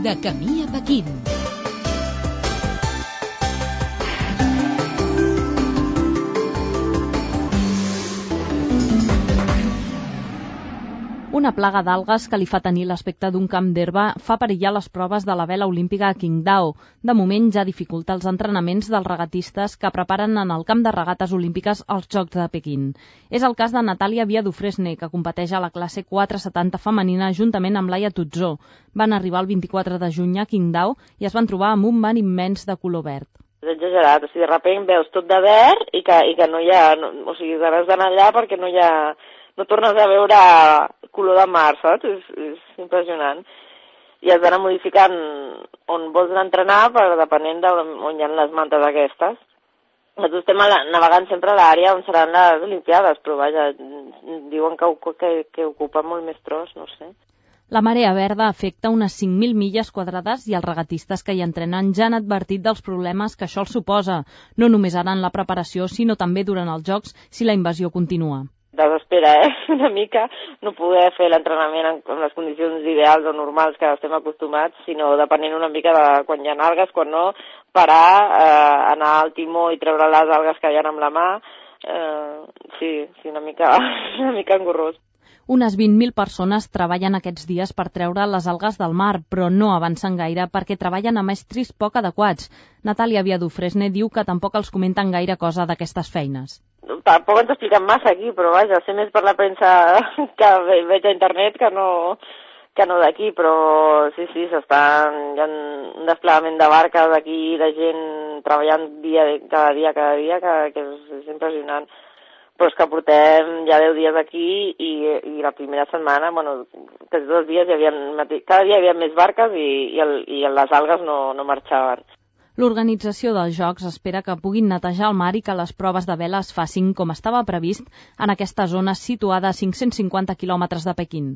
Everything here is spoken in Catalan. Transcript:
De camí a Pequín. Una plaga d'algues que li fa tenir l'aspecte d'un camp d'herba fa perillar les proves de la vela olímpica a Qingdao. De moment ja dificulta els entrenaments dels regatistes que preparen en el camp de regates olímpiques als Jocs de Pequín. És el cas de Natàlia Viadufresne, que competeix a la classe 470 femenina juntament amb Laia Tutzó. Van arribar el 24 de juny a Qingdao i es van trobar amb un mar immens de color verd. És exagerat, o sigui, de sobte veus tot de verd i que no hi ha... O sigui, has d'anar allà perquè no hi ha... No tornes a veure color de mar, saps? És impressionant. I has d'anar modificant on vols anar a entrenar, depenent d'on hi ha les mantes aquestes. Nosaltres estem navegant sempre a l'àrea on seran les Olimpiades, però vaja, diuen que ocupa molt més tros, no sé. La marea verda afecta unes 5.000 milles quadrades i els regatistes que hi entrenen ja han advertit dels problemes que això els suposa, no només ara en la preparació, sinó també durant els Jocs si la invasió continua. Desespera, una mica, no poder fer l'entrenament en les condicions ideals o normals que estem acostumats, sinó depenent una mica de quan hi ha algues, quan no, parar, anar al timó i treure les algues que hi ha amb la mà, sí, una mica engorrós. Unes 20.000 persones treballen aquests dies per treure les algues del mar, però no avancen gaire perquè treballen amb estris poc adequats. Natàlia Viadufresne diu que tampoc els comenten gaire cosa d'aquestes feines. Tampoc ens expliquen massa aquí, però vaja, sé més per la premsa que veig a internet que no d'aquí, però sí, hi ha un desplegament de barques aquí, de gent treballant cada dia, que és impressionant. Però és que portem ja 10 dies aquí i la primera setmana, quasi 2 dies, cada dia hi havia més barques i les algues no marxaven. L'organització dels Jocs espera que puguin netejar el mar i que les proves de vela es facin com estava previst en aquesta zona situada a 550 quilòmetres de Pequín.